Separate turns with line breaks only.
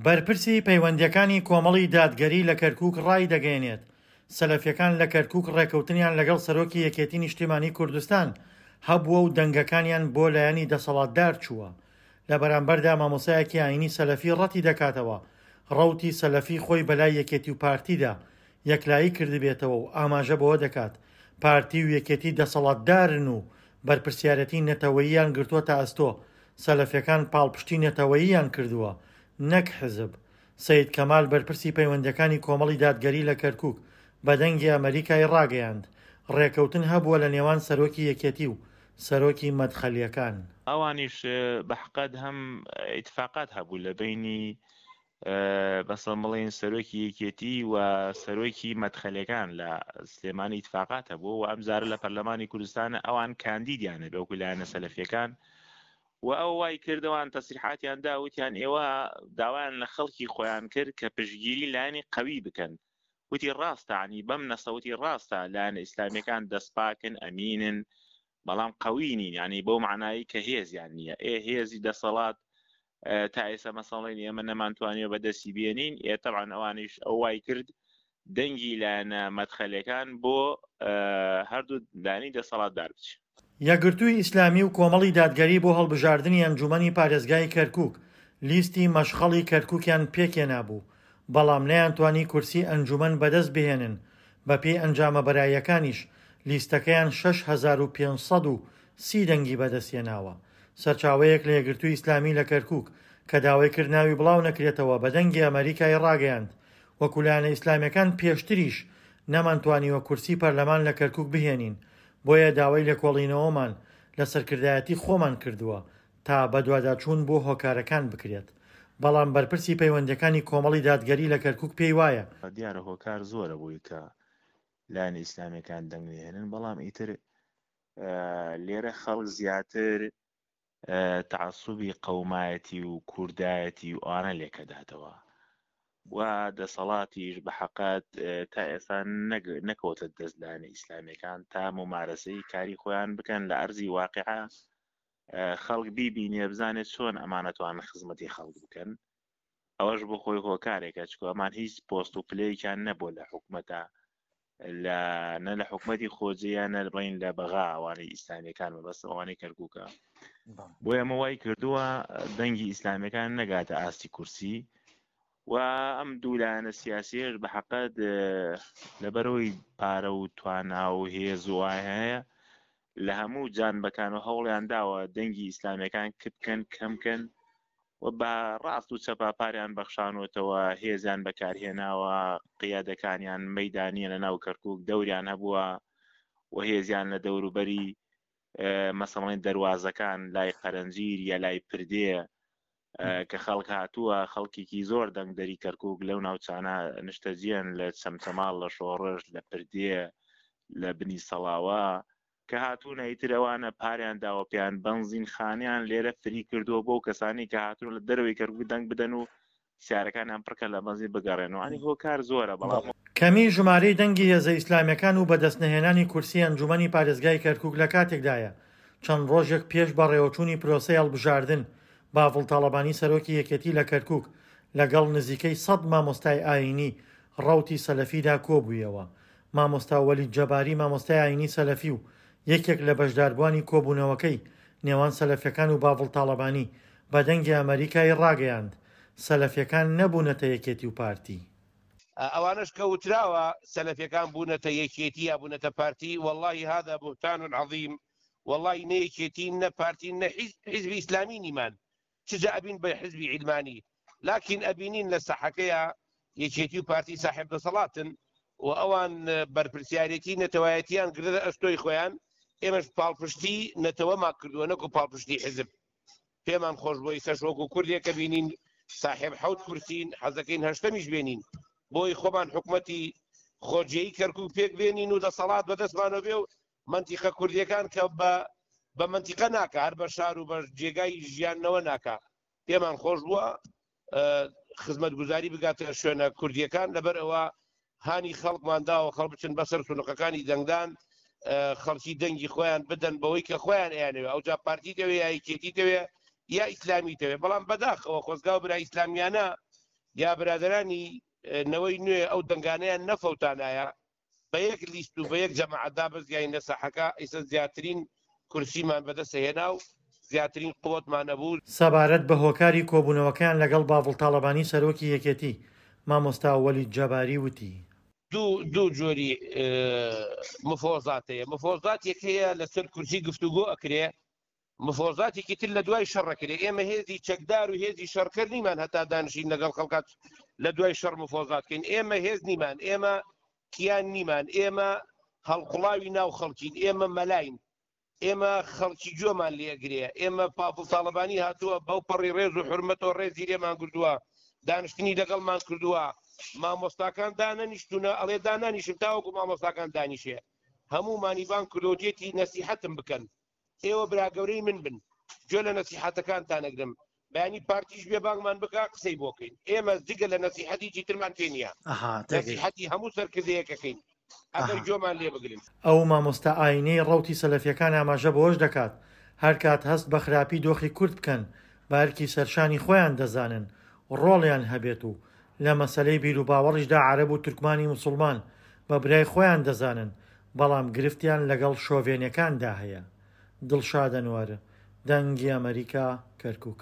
بەرپرسی پەیوەندییەکانی کۆمەڵی دادگەری لە کەرکوک ڕایدەگەیەنێت، سەلەفیەکان لە کەرکوک ڕێکەوتنیان لەگەڵ سەرۆکی یەکێتی نیشتیمانی کوردستان هەبووە و دەنگەکانیان بۆ لایەنی دەسەڵاتدار چووە. لە بەرامبەردا مامۆستایەکی ئاینی سەلەفی ڕەتیدەکاتەوە ڕەوتی سەلەفی خۆی بەلای یەکێتی و پارتیدا یەکلایی کردبێتەوە و ئاماژە بەوە دەکات پارتی و یەکێتی دەسەڵاتدارن و بەرپرسیارێتی نەتەوەییان گرتووەتە ئەستۆ، سەلەفیەکان پاڵپشتی نەتەوەییان کردووە نەک حزب. سەید کەمال بەرپرسی پەیوەندیەکانی کۆمەڵی دادگەری لە کەرکوک بە دەنگی ئەمەریکای ڕاگەیاند، ڕێکەوتن هەبووە لە نێوان سەرۆکی یەکێتی و سەرۆکی مەدخەلیەکان.
ئەوانیش بە حقەت هەم ئیتفاقات هەبوو لە بەینی مەسەڵەن بڵێین سەرۆکی یەکێتی و سەرۆکی مەدخەلەکان لە سلێمانی ئیتفاقات هەبوو و ئەم جارە لە پەرلەمانی کوردستان ئەوان کاندیدیان هەبێ وەکو لایەنە سەلەفیەکان و ئەو وای کردوان تەسریحاتیان دا وتیان ئێوە داوایان لە خەڵکی خۆیان کرد کە پشتگیری لایەنی قەوی بکەن وتی ڕاستە عنی بەم نەسەوتی ڕاستە لایەنە ئیسلامیەکان دەستپاکن ئەمینن بەڵام قەوی نین یعنی بەو معنایی کە هێزیان نییە ئێ هێزی دەسەڵات تا ئێستا مەسەڵێن ئێمە نەمانتوانیوە بەدەستی بێنین ئێ تەبعەن ئەوانیش ئەو وای کرد دەنگی لایەنە مەدخەلەکان بۆ هەردوو لایەنی دەسەڵاتدار بچ.
یەکگرتووی ئیسلامی و کۆمەڵی دادگەری بۆ هەڵبژاردنی ئەنجوومەنی پارێزگای کەرکووک لیستی مەشخەڵی کەرکووکیان پێکهێنابوو، بەڵام نەیانتوانی کورسی ئەنجوومەن بەدەست بهێنن، بەپێی ئەنجامە بەراییەکانیش لیستەکەیان 6530 دەنگی بەدەستهێناوە. سەرچاوەیەک لە یەکگرتووی ئیسلامی لە کەرکووک کە داوای کرد ناوی بڵاو نەکرێتەوە بە دەنگی ئەمەریکای ڕاگەیاند، وەکو لایەنە ئیسلامیەکان پێشتریش نەمانتوانیوە کورسی پەرلەمان لە کەرکووک بهێنین، بۆیە داوای لێکۆڵینەوەمان لە سەرکردایەتی خۆمان کردووە تا بەدواداچوون بۆ هۆکارەکان بکرێت. بەڵام بەرپرسی پەیوەندیەکانی کۆمەڵی دادگەری لە کەرکووک پێی وایە،
دیارە هۆکار زۆرە بۆی کە لایەنە ئیسلامیەکان دەنگ نەهێنن، بەڵام ئیتر لێرە خەڵک زیاتر تەعەسوبی قەومایەتی و کوردایەتی و ئەوانە لێکەداتەوە و دەسەڵاتیش بە حەقەت تا ئێستا نەکەوتە دەست لایەنە ئیسلامیەکان تا ممارەسەی کاری خۆیان بکەن لە ئەرزی واقعە خەڵک بیبینێ بزانێت چۆن ئەمانەتوان خزمەتی خەڵک بکەن ئەوەش بۆ خۆی هۆکارێکە چکۆ ئەمان هیچ پۆست و پلەیەکیان نەبووە لە حکومەتە لە نە لە حکومەتی خۆجێیە نە بڵین لە بەغا ئەوانەی ئیسلامیەکان مەبەست ئەوانەی کەرکووکە بۆ ئەمە وای کردووە دەنگی ئیسلامیەکان نەگاتە ئاستی کورسی و ئەم دوو لایەنە سیاسیش بە حەقەت لەبەرەوەی پارە و توانا و هێز و هەیە لە هەموو جانبەکان و هەوڵیان داوە دەنگی ئیسلامیەکان کپ بکەن کەم کەن و بە ڕاست و چەپا پاریان بەخشانوەتەوە هێزیان بەکارهێناوە قیادەکانیان مەدانیە لە ناو کەرکک دەوریان هەبووە و هێزیان لە دەوروبەری مەسەڵێن دەواازەکان لای قەرەنجیر یا لای پردێ کە خەڵک هاتووە خەڵکێکی زۆر دەنگدەری کەرکک لەو ناوچانە نیشتەجێن لە چەمچەماڵ لە شۆڕش لە پردێ لە بنی سەڵاوە کە هاتوونە ئیتر ئەوانە پاریان داوە پێیان بەنزینخانەیان لێرە فری کردووە بۆ کەسانی کە هاتوون لە دەرەوەی کەرکوک دەنگ بدەن و سیارەکانیان پڕکەن لە بەنزین بگەڕێنەوە ئەنی هۆکار زۆرە بەڵام.
کەمی ژمارەی دەنگی هێزە ئیسلامیەکان و بەدەستنەهێنانی کورسی ئەنجومەنی پارێزگای کەرکوک لە کاتێکدایە چەند ڕۆژێک پێش بەڕێوەچوونی پرۆسەی هەڵبژاردن بافڵ تاڵەبانی سەرۆکی یەکێتی لە کەرکوک لەگەڵ نزیکەی سەد مامۆستای ئایینی ڕەوتی سەلەفیدا کۆبوویەوە مامۆستا وەلید جەباری مامۆستای ئایینی سەلەفی و یەکێک لە بەشداربووانی کۆبوونەوەکەی نێوان سەلەفیەکان و باڤڵ تاڵەبانی بە دەنگی ئەمەریکای ڕاگەیاند، سەلەفیەکان نەبوونەتە یەکێتی و پارتی.
ئەوانەش کە وتراوە سەلەفیەکان بوونەتە یەکێتی یا بوونەتە پارتی واللە هذا بهتان عظیم واللە نە یەکێتین نە پارتین نە حیزبی ئیسلامی نیمان چ جا ئەبین بە حزبی عیلمانی لاکین ئەبینین لە ساحەکەیا یەکێتی و پارتی ساحێب دەسەڵاتن و ئەوان بەرپرسیارێتی نەتەوایەتیان گرتە ئەستۆی خۆیان ئێمەش پاڵپشتی نەتەوەمان کردووە نەکو پاڵپشتی حزب پێمان خۆش بۆ ئیسەش وەکو کوردێک کە بینین ساحێب حەوت کورسین حەزەکەین هەشتەمیش بێنین بۆی خۆمان حکومەتی خۆجێی کەرکک پێک بێنین و دەسەڵات بەدەستمانەوە بێ و مەنتیقە کوردیەکان کە بە بە مەنتیقە ناکا هەر بە شار و بە جێگای ژیانەوە ناکا پێمان خۆش بووە خزمەتگوزاری بگاتە شوێنە کوردیەکان لەبەر ئەوە هانی خەڵکمان داوە خەڵ بچن بەسەر سنوقەکانی دەنگدان خەڵکی دەنگی خۆیان بدەن بەوەی کە خۆیان ئەیانەوێ ئەوجا پارتی دەوێ یا یەکێتی دەوێ یا ئیسلامی دەوێ بەڵام بەداخەوە خۆزگاو برا ئیسلامیانە. یا برادەرانی نەوەی نوێ ئەو دەنگانەیان نەفەوتانایە بە یەک لیست و بە یەک جەماعەت دابەزیاین لە ساحەکە ئیسە زیاترین کورسیمان بەدەست هێنا و زیاترین قوتمان هەبوو.
سەبارەت بە هۆکاری کۆبوونەوەکەیان لەگەڵ باڤڵ تاڵەبانی سەرۆکی یەکێتی، مامۆستا وەلید جەباری وتی.
دوو جۆری مفۆزات هەیە، مفۆزاتێک هەیە لەسەر کورسی گفتوگۆ ئەکرێ، مفۆزاتێکی تر لە دوای شەڕ ئەکرێ، ئێمە هێزی چەکدار و هێزی شەڕکەر نیمان هەتا دانیشین لەگەڵ خەڵکات لە دوای شەڕ مفۆزات کەین، ئێمە هێز نیمان، ئێمە کیان نیمان، ئێمە هەڵقوڵاوی ناو خەڵکین، ئێمە مەلاین، ئێمە خەڵکی گوێمان لێ ئەگرێ، ئێمە پافڵ تاڵەبانی هاتووە بەو پەڕی ڕێز و حورمەتەوە ڕێزی لێمان گرتووە، دانیشتنی لەگەڵمان کردووە، مامۆستاکان دانەنیشتوونە، ئەڵێ دانانیشم تاوەکو مامۆستاکان دانیشێ، هەموومانی بانگ کردووە وتیەتی نەسیحەتم بکەن، ئێوە برا گەورەی من بن، گوێ لە نەسیحەتەکانتان ئەگرم، بەیانی پارتیش بێ بانگمان بکا قسەی بۆ کەین، ئێمە جگە لە نەسیحەت هیچی ترمان پێ نییە، نەسیحەتی هەموو سەرکردەیەک ئەکەین ئەگەر گوێمان لێ بگرن.
ئەو مامۆستا ئاینیەی ڕەوتی سەلەفیەکان ئاماژە بەوەش دەکات، هەرکات هەست بە خراپی دۆخی کورد بکەن بە ئەرکی سەرشانی خۆیان دەزانن ڕۆڵیان هەبێت و لە مەسەلەی بیروباوەڕیشدا عەرەب و تورکمانی موسوڵمان بە برای خۆیان دەزانن بەڵام گرفتیان لەگەڵ شۆڤێنەکاندا هەیە. دڵشاد ئەنوەر، دەنگی ئەمەریکا، کەرکوک.